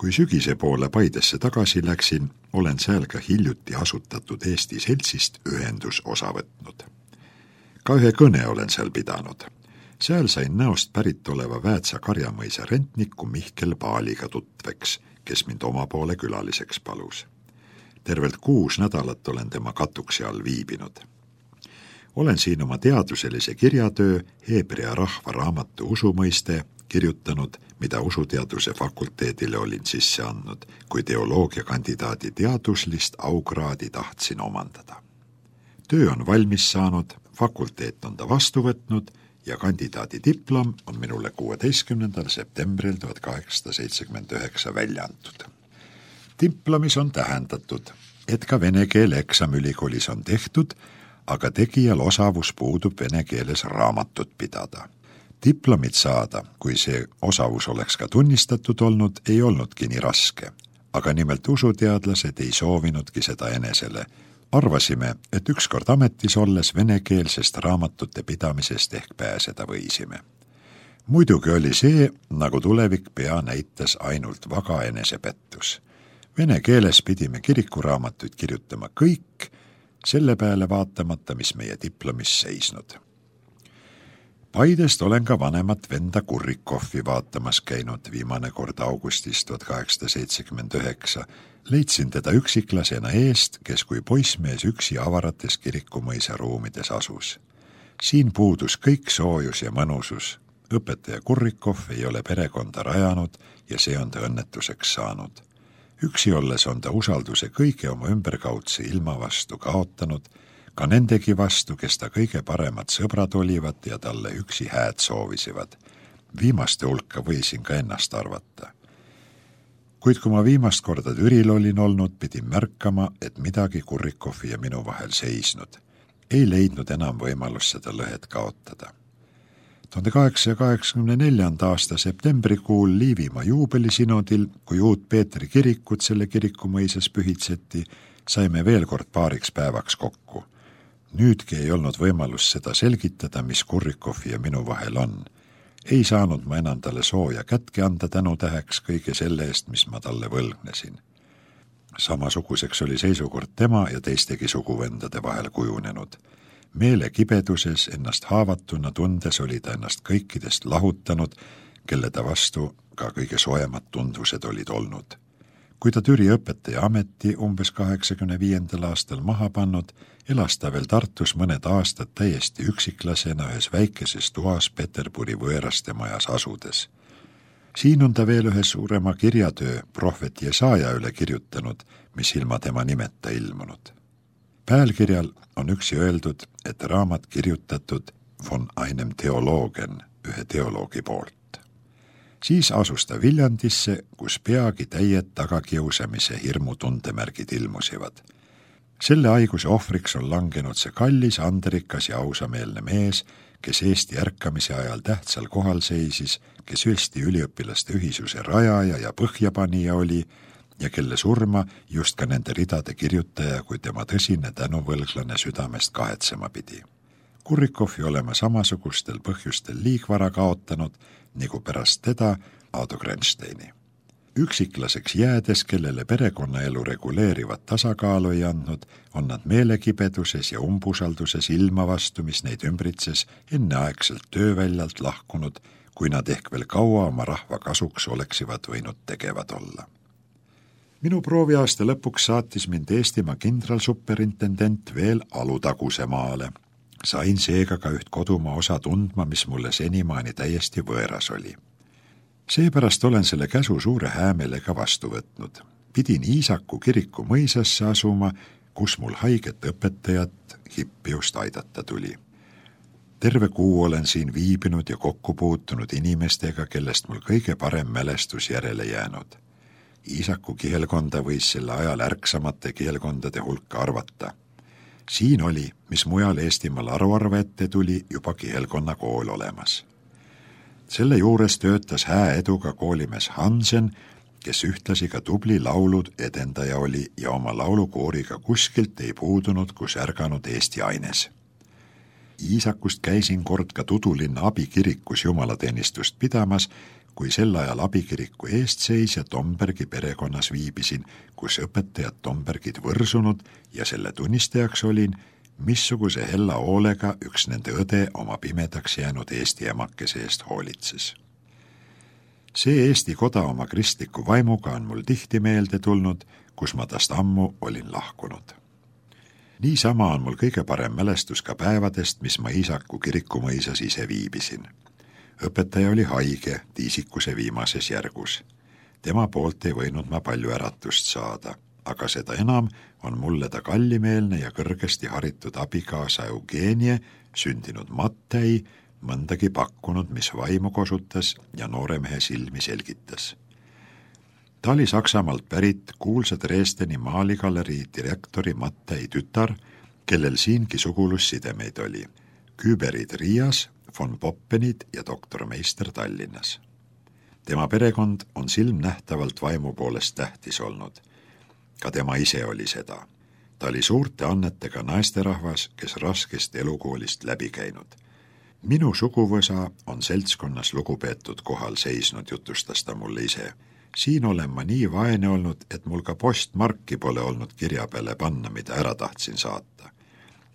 Kui sügise poole Paidesse tagasi läksin, olen seal ka hiljuti asutatud Eesti seltsist ühendus osa võtnud. Ka ühe kõne olen seal pidanud. Seal sain näost pärit oleva Väätsa Karjamõisa rentniku Mihkel Paaliga tutveks, kes mind oma poole külaliseks palus. Tervelt 6 nädalat olen tema katuksi all viibinud. Olen siin oma teaduselise kirjatöö Heebrea rahva raamatu usumõiste kirjutanud, mida usuteaduse fakulteedile olin sisse andnud, kui teoloogiakandidaadi teaduslist aukraadi tahtsin omandada. Töö on valmis saanud, fakulteet on ta vastu võtnud ja kandidaadi diplom on minule 16. septembril 1879 välja antud. Diplomis on tähendatud, et ka vene keele eksam ülikoolis on tehtud, aga tegijal osavus puudub vene keeles raamatut pidada. Diplomit saada, kui see osavus oleks ka tunnistatud olnud, ei olnudki nii raske, aga nimelt usuteadlased ei soovinudki seda enesele. Arvasime, et ükskord ametis olles venekeelsest raamatute pidamisest ehk pääseda võisime. Muidugi oli see, nagu tulevik pea näitas, ainult vaga enesepettus. Vene keeles pidime kirikuraamatuid kirjutama kõik, selle peale vaatamata, mis meie diplomis seisnud. Paidest olen ka vanemat venda Kurrikoffi vaatamas käinud viimane kord augustis 1879. Leidsin teda üksiklasena eest, kes kui poissmees üksi avarates kirikumõisa ruumides asus. Siin puudus kõik soojus ja mõnusus. Õpetaja Kurrikoff ei ole perekonda rajanud ja see on ta õnnetuseks saanud. Üksi olles on ta usalduse kõige oma ümberkaudse ilma vastu kaotanud, ka nendegi vastu, kes ta kõige paremad sõbrad olivad ja talle üksi hääd soovisivad. Viimaste hulka võisin ka ennast arvata. Kuid kui ma viimast korda Türil olin olnud, pidin märkama, et midagi Kurrikoffi ja minu vahel seisnud. Ei leidnud enam võimalust seda lõhet kaotada. 1884. aasta septembrikuul Liivimaa juubelisinodil, kui uut Peetri kirikut selle kirikumõisas pühitseti, saime veel kord paariks päevaks kokku. Nüüdki ei olnud võimalus seda selgitada, mis Kurrikoffi ja minu vahel on. Ei saanud ma enam talle sooja kätke anda tänutäheks kõige selle eest, mis ma talle võlgnesin. Samasuguseks oli seisukord tema ja teistegi suguvendade vahel kujunenud. Meele kibeduses ennast haavatuna tundes oli ta ennast kõikidest lahutanud, kelle ta vastu ka kõige soojemad tundvused olid olnud. Kui ta Türi õpetaja ameti umbes 85. aastal maha pannud, elas ta veel Tartus mõned aastad täiesti üksiklasena ühes väikeses toas Peterburi võõraste majas asudes. Siin on ta veel ühe suurema kirjatöö prohvet Jesaja üle kirjutanud, mis ilma tema nimeta ilmunud. Pealkirjal on üksi öeldud, et raamat kirjutatud von einem Theologen, ühe teoloogi poolt. Siis asus ta Viljandisse, kus peagi täied tagakiusamise hirmu tundemärgid ilmusivad. Selle haiguse ohvriks on langenud see kallis, andrikas ja ausameelne mees, kes Eesti ärkamise ajal tähtsal kohal seisis, kes Eesti üliõpilaste ühisuse rajaja ja põhjapanija oli ja kelle surma just ka nende ridade kirjutaja kui tema tõsine tänuvõlglane südamest kahetsema pidi. Kurrikoffi olema samasugustel põhjustel liigvara kaotanud, nagu pärast teda Aado Grensteini. Üksiklaseks jäädes, kellele perekonnaelu reguleerivat tasakaalu ei andnud, on nad meelekibeduses ja umbusalduses ilma vastu, mis neid ümbritses, enneaegselt tööväljalt lahkunud, kui nad ehk veel kaua oma rahva kasuks oleksivad võinud tegevad olla. Minu prooviaasta lõpuks saatis mind Eestimaa kindralsuperintendent veel Alutaguse maale. Sain seega ka üht kodumaa osa tundma, mis mulle senimaani täiesti võõras oli. Seepärast olen selle käsu suure häämeelega vastu võtnud. Pidin Iisaku kiriku mõisasse asuma, kus mul haiget õpetajat Hippiust aidata tuli. Terve kuu olen siin viibinud ja kokku puutunud inimestega, kellest mul kõige parem mälestus järele jäänud. Iisaku kihelkonda võis selle ajal ärksamate kihelkondade hulka arvata. Siin oli, mis mujal Eestimaal aruarve ette tuli, juba kihelkonna kool olemas. Selle juures töötas hää eduga koolimees Hansen, kes ühtlasi ka tubli laulud edendaja oli ja oma laulukooriga kuskilt ei puudunud, kus ärganud Eesti aines. Iisakust käisin kord ka Tudulinna abikirikus jumalateenistust pidamas, kui sel ajal abikiriku eestseisja Tombergi perekonnas viibisin, kus õpetajad Tombergid võrsunud ja selle tunnistajaks olin, missuguse hella hoolega üks nende õde oma pimedaks jäänud eesti emakese eest hoolitses. See Eesti koda oma kristliku vaimuga on mul tihti meelde tulnud, kus ma tast ammu olin lahkunud. Niisama on mul kõige parem mälestus ka päevadest, mis ma Iisaku kirikumõisas ise viibisin. Õpetaja oli haige tiisikuse viimases järgus. Tema poolt ei võinud ma palju äratust saada, aga seda enam on mulle ta kallimeelne ja kõrgesti haritud abikaasa Eugenie, sündinud Mattei, mõndagi pakkunud, mis vaimu kosutas ja noore mehe silmi selgitas. Ta oli Saksamaalt pärit kuulsa Dresdeni maaligalerii direktori Mattei tütar, kellel siingi sugulussidemeid oli. Küberid Riias, von Poppenid ja doktor Meister Tallinnas. Tema perekond on silmnähtavalt vaimu poolest tähtis olnud. Ka tema ise oli seda. Ta oli suurte annetega naisterahvas, kes raskest elukoolist läbi käinud. Minu suguvõsa on seltskonnas lugupeetud kohal seisnud, jutustas ta mulle ise. Siin olen ma nii vaene olnud, et mul ka postmarki pole olnud kirja peale panna, mida ära tahtsin saata.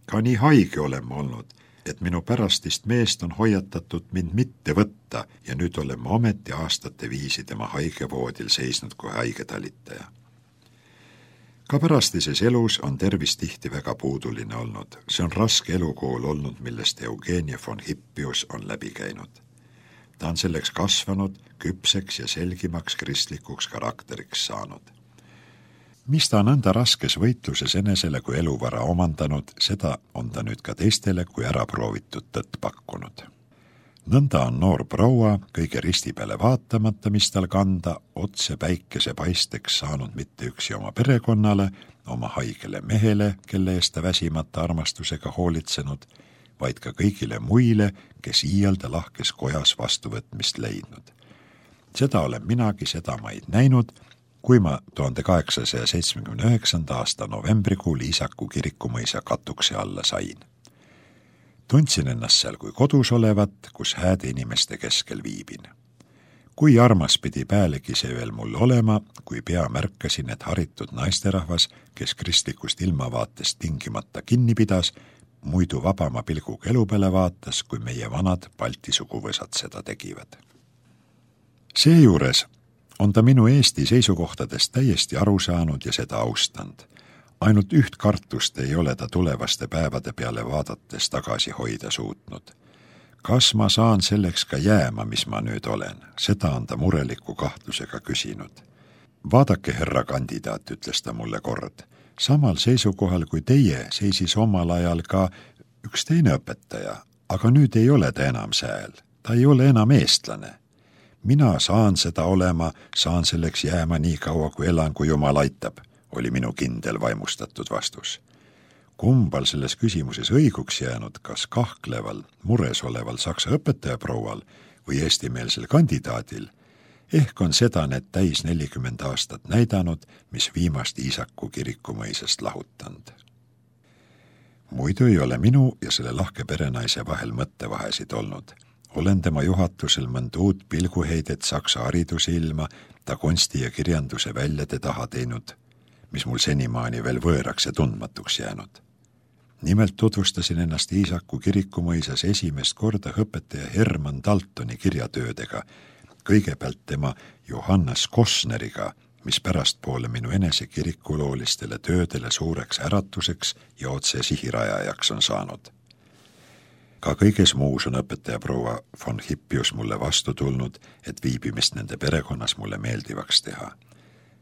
Ka nii haige olen ma olnud, et minu pärastist meest on hoiatatud mind mitte võtta ja nüüd olen ma ometi aastate viisi tema haigevoodil seisnud kui haigetalitaja. Ka pärastises elus on tervis tihti väga puuduline olnud. See on raske elukool olnud, millest Eugenie von Hippius on läbi käinud. Ta on selleks kasvanud, küpseks ja selgimaks kristlikuks karakteriks saanud. Mis ta on nõnda raskes võitluses enesele kui eluvara omandanud, seda on ta nüüd ka teistele kui ära proovitud tõtt pakkunud. Nõnda on noor proua kõige risti peale vaatamata, mis tal kanda, otse päikese paisteks saanud mitte üksi oma perekonnale, oma haigele mehele, kelle eest ta väsimata armastusega hoolitsenud, vaid ka kõigile muile, kes iialda lahkes kojas vastuvõtmist leidnud. Seda olen minagi sedamaid näinud, kui ma 1879. aasta novembrikuul Iisaku kirikumõisa katukse alla sain. Tundsin ennast seal kui kodus olevat, kus hääde inimeste keskel viibin. Kui armas pidi päälegi see veel mul olema, kui pea märkasin, et haritud naisterahvas, kes kristlikust ilmavaatest tingimata kinni pidas, muidu vabama pilguga elu peale vaatas, kui meie vanad Balti suguvõsad seda tegivad. Seejuures on ta minu Eesti seisukohtadest täiesti aru saanud ja seda austanud. Ainult üht kartust ei ole ta tulevaste päevade peale vaadates tagasi hoida suutnud. Kas ma saan selleks ka jääma, mis ma nüüd olen? Seda on ta mureliku kahtlusega küsinud. Vaadake, härra kandidaat, ütles ta mulle kord. Samal seisukohal kui teie seisis omal ajal ka üks teine õpetaja, aga nüüd ei ole ta enam sääl. Ta ei ole enam eestlane. Mina saan seda olema, saan selleks jääma nii kaua, kui elan, kui Jumal aitab, oli minu kindel vaimustatud vastus. Kumbal selles küsimuses õiguks jäänud, kas kahkleval, mures oleval saksa õpetajaproual või eestimeelsel kandidaadil, ehk on seda need täis 40 aastat näidanud, mis viimast Iisaku kirikumõisast lahutanud. Muidu ei ole minu ja selle lahke perenaise vahel mõttevahesid olnud. Olen tema juhatusel mõnd uut pilguheidet saksa hariduse ilma, ta kunsti ja kirjanduse väljade taha teinud, mis mul senimaani veel võõraks ja tundmatuks jäänud. Nimelt tutvustasin ennast Iisaku kirikumõisas esimest korda õpetaja Hermann Daltoni kirjatöödega, kõigepealt tema Johannes Kosneriga, mis pärastpoole minu enese kirikuloolistele töödele suureks äratuseks ja otse sihirajajaks on saanud. Ka kõiges muus on õpetaja proua von Hippius mulle vastu tulnud, et viibimist nende perekonnas mulle meeldivaks teha.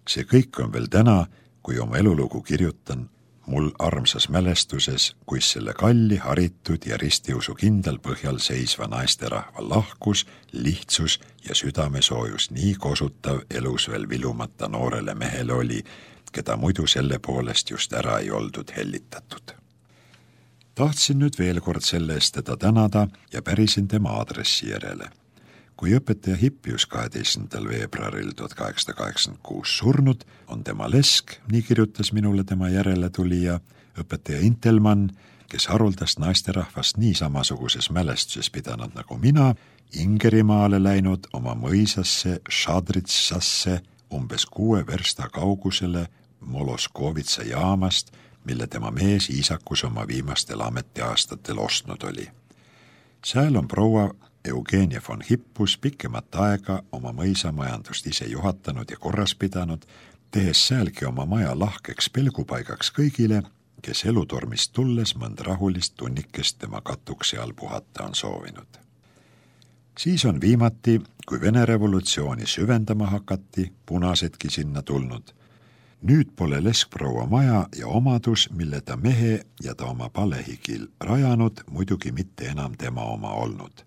See kõik on veel täna, kui oma elulugu kirjutan, mul armsas mälestuses, kuis selle kalli, haritud ja ristiusu kindel põhjal seisva naisterahva lahkus, lihtsus ja südamesoojus nii kosutav elus veel vilumata noorele mehele oli, keda muidu selle poolest just ära ei oldud hellitatud. Tahtsin nüüd veel kord selle eest teda tänada ja pärisin tema aadressi järele. Kui õpetaja Hippius 12. veebruaril 1886 surnud, on tema lesk, nii kirjutas minule tema järele tulija, õpetaja Intelmann, kes haruldast naisterahvast nii samasuguses mälestuses pidanud nagu mina, Ingerimaale läinud oma mõisasse Šadritsasse umbes 6 versta kaugusele Moloskovitsa jaamast, mille tema mees Iisakus oma viimastel ametiaastatel ostnud oli. Sääl on proua Eugenia von Hippus pikemat aega oma mõisamajandust ise juhatanud ja korras pidanud, tehes säälgi oma maja lahkeks pelgupaigaks kõigile, kes elutormist tulles mõnd rahulist tunnikest tema katuksi all puhata on soovinud. Siis on viimati, kui Vene revolutsiooni süvendama hakati, punasedki sinna tulnud. Nüüd pole leskproua maja ja omadus, mille ta mehe ja ta oma palehigil rajanud, muidugi mitte enam tema oma olnud.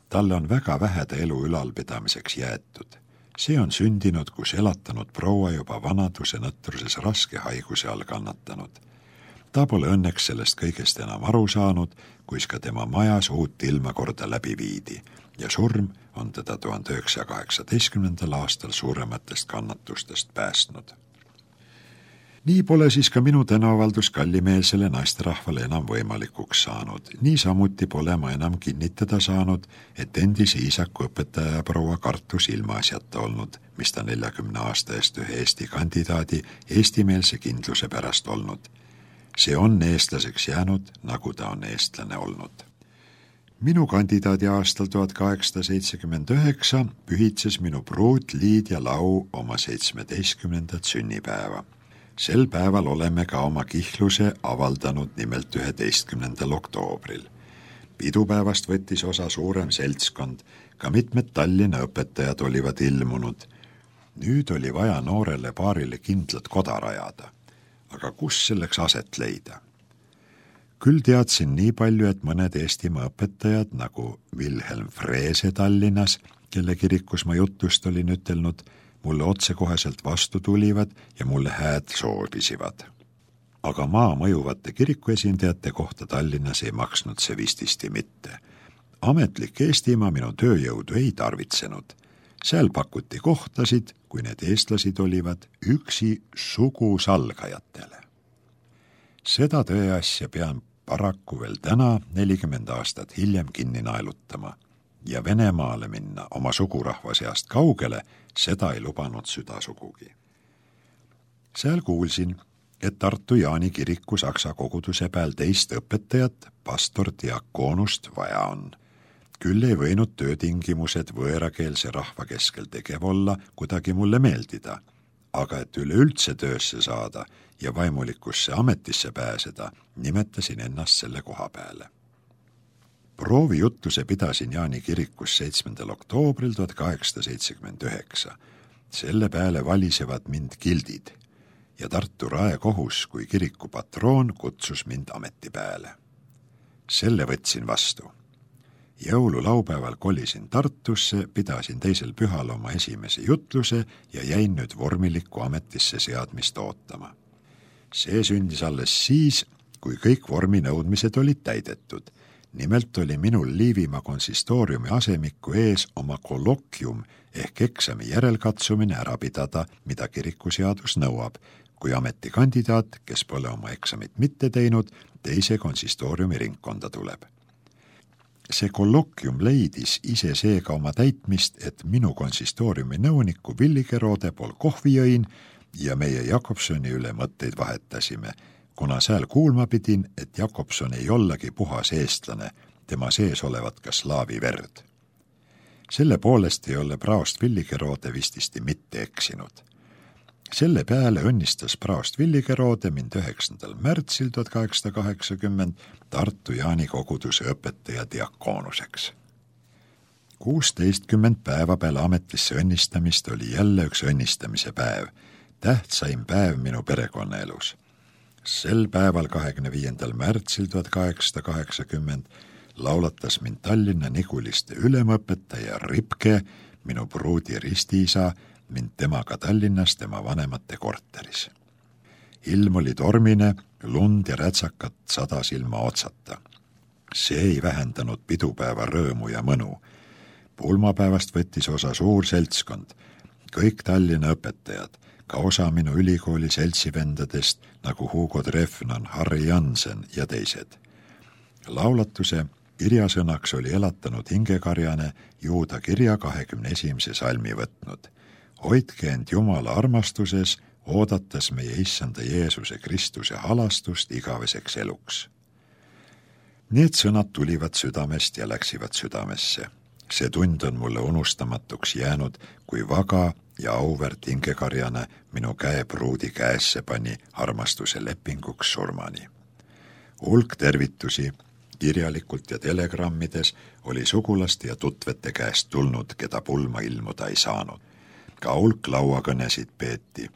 Talle on väga vähe ta elu ülalpidamiseks jäetud. See on sündinud, kus elatanud proua juba vanaduse nõtruses raske haiguse all kannatanud. Ta pole õnneks sellest kõigest enam aru saanud, kuis ka tema majas uut ilma korda läbi viidi ja surm on teda 1918. aastal suurematest kannatustest päästnud. Nii pole siis ka minu tänuavaldus kallimeelsele naisterahvale enam võimalikuks saanud. Niisamuti pole ma enam kinnitada saanud, et endise Iisaku õpetaja proua Kartus ilmaasjata olnud, mis ta 40 aasta eest ühe Eesti kandidaadi eestimeelse kindluse pärast olnud. See on eestlaseks jäänud, nagu ta on eestlane olnud. Minu kandidaadi aastal 1879 pühitses minu pruut Liidia Lau oma 17. sünnipäeva. Sel päeval oleme ka oma kihluse avaldanud nimelt 11. oktoobril. Pidupäevast võttis osa suurem seltskond, ka mitmed Tallinna õpetajad olivad ilmunud. Nüüd oli vaja noorele paarile kindlat koda rajada. Aga kus selleks aset leida? Küll teadsin nii palju, et mõned Eestimaa õpetajad, nagu Wilhelm Freese Tallinnas, kelle kirikus ma jutust olin ütelnud, mulle otsekoheselt vastu tulivad ja mulle hääd soovisivad. Aga maa mõjuvate kirikuesindajate kohta Tallinnas ei maksnud see vististi mitte. Ametlik Eestimaa minu tööjõudu ei tarvitsenud. Seal pakuti kohtasid, kui need eestlasid olivad, üksi sugusalgajatele. Seda tõeasja pean paraku veel täna 40 aastat hiljem kinni naelutama. Ja Venemaale minna oma sugurahva seast kaugele, seda ei lubanud süda sugugi. Seal kuulsin, et Tartu Jaani kiriku saksa koguduse peal teist õpetajat, pastor diakoonust vaja on. Küll ei võinud töötingimused võõrakeelse rahva keskel tegev olla kuidagi mulle meeldida, aga et üleüldse töösse saada ja vaimulikusse ametisse pääseda, nimetasin ennast selle koha peale. Proovijutluse pidasin Jaani kirikus 7. oktoobril 1879. Selle peale valisevad mind gildid ja Tartu raekohus kui kiriku patroon kutsus mind ametipeale. Selle võtsin vastu. Jõululaupäeval kolisin Tartusse, pidasin teisel pühal oma esimese jutluse ja jäin nüüd vormilikku ametisse seadmist ootama. See sündis alles siis, kui kõik vorminõudmised olid täidetud. Nimelt oli minul Liivimaa konsistooriumi asemiku ees oma kolloquium ehk eksami järelkatsumine ära pidada, mida kirikuseadus nõuab, kui ametikandidaat, kes pole oma eksamit mitte teinud, teise konsistooriumi ringkonda tuleb. See kolloquium leidis ise seega oma täitmist, et minu konsistooriumi nõuniku Villigerode pool kohvi jõin ja meie Jakobsoni üle mõtteid vahetasime, kuna sääl kuulma pidin, et Jakobson ei ollagi puhas eestlane, tema sees olevat ka slaavi verd. Selle poolest ei ole praost Villigerode vististi mitte eksinud. Selle peale õnnistas praost Villigerode mind 9. märtsil 1880 Tartu Jaani koguduse õpetaja diakoonuseks. 16 päeva peale ametisse õnnistamist oli jälle üks õnnistamise päev, tähtsaim päev minu perekonnaelus. Sel päeval 25. märtsil 1880 laulatas mind Tallinna Niguliste ülemõpetaja Ripke, minu pruudi ristiisa, mind temaga Tallinnas tema vanemate korteris. Ilm oli tormine, lund ja rätsakat sadas ilma otsata. See ei vähendanud pidupäeva rõõmu ja mõnu. Pulmapäevast võttis osa suur seltskond, kõik Tallinna õpetajad, ka osa minu ülikooli seltsivendadest nagu Hugo Treffnan, Harri Jansen ja teised. Laulatuse kirjasõnaks oli elatanud hingekarjane Juuda kirja 21. salmi võtnud. Hoidke end Jumala armastuses, oodates meie Issanda Jeesuse Kristuse halastust igaveseks eluks. Need sõnad tulivad südamest ja läksivad südamesse. See tund on mulle unustamatuks jäänud, kui vaga ja auväärt hingekarjane minu käe pruudi käesse pani armastuse lepinguks surmani. Hulk tervitusi kirjalikult ja telegrammides oli sugulaste ja tutvete käest tulnud, keda pulma ilmuda ei saanud. Ka hulk lauakõnesid peeti.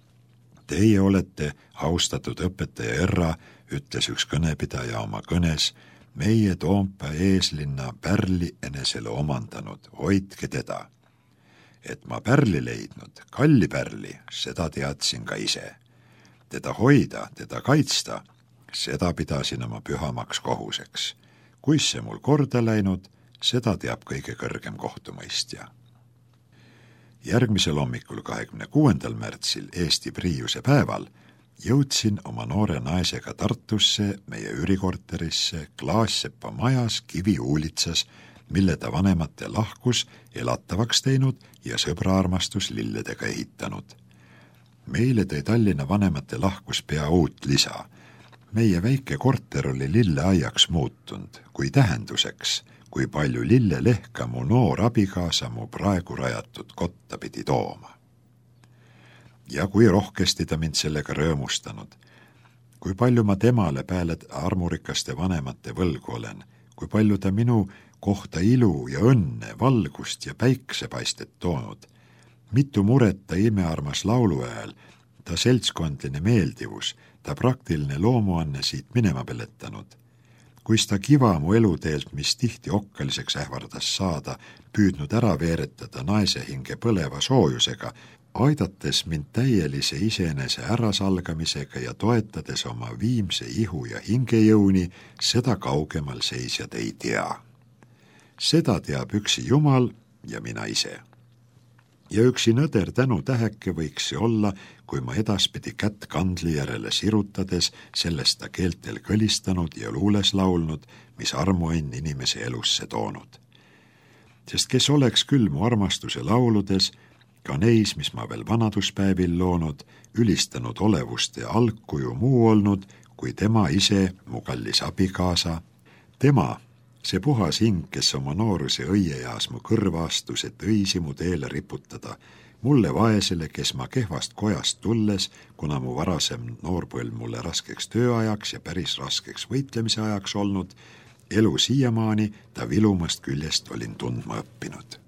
Teie olete, austatud õpetaja Erra, ütles üks kõnepidaja oma kõnes, meie Toompea eeslinna pärli enesele omandanud, hoidke teda. Et ma pärli leidnud, kalli pärli, seda teadsin ka ise. Teda hoida, teda kaitsta, seda pidasin oma pühamaks kohuseks. Kuis see mul korda läinud, seda teab kõige kõrgem kohtumõistja. Järgmisel hommikul 26. märtsil Eesti Priiuse päeval jõudsin oma noore naisega Tartusse, meie üürikorterisse, Klaassepa majas Kiviuulitsas, mille ta vanemate lahkus elatavaks teinud ja sõbraarmastus lilledega ehitanud. Meile tõi Tallinna vanemate lahkus pea uut lisa. Meie väike korter oli lilleaiaks muutunud, kui tähenduseks, kui palju lillelehka mu noor abikaasa mu praegu rajatud kotta pidi tooma. Ja kui rohkesti ta mind sellega rõõmustanud, kui palju ma temale peale armurikaste vanemate võlgu olen, kui palju ta minu kohta ilu ja õnne, valgust ja päiksepaistet toonud, mitu muret ta imearmas laulu ajal, ta seltskondline meeldivus, ta praktiline loomuanne siit minema peletanud, kuis ta kiva mu eluteelt, mis tihti okkaliseks ähvardas saada, püüdnud ära veeretada naise hinge põleva soojusega, aidates mind täielise iseenese ärasalgamisega ja toetades oma viimse ihu ja hingejõuni, seda kaugemal seisjad ei tea. Seda teab üksi Jumal ja mina ise. Ja üksi nõder tänu täheke võiks see olla, kui ma edaspidi kätt kandli järele sirutades sellest ta keeltel kõlistanud ja luules laulnud, mis armuõnn inimese elusse toonud. Sest kes oleks küll mu armastuse lauludes, ka neis, mis ma veel vanaduspäevil loonud, ülistanud olevust ja algkuju muu olnud, kui tema ise, mu kallis abikaasa, tema, see puhas hing, kes oma nooruse õiejaas mu kõrva astus, et õisi mu teele riputada, mulle vaesele, kes ma kehvast kojast tulles, kuna mu varasem noorpõlv mulle raskeks tööajaks ja päris raskeks võitlemise ajaks olnud, elu siiamaani ta vilumast küljest olin tundma õppinud.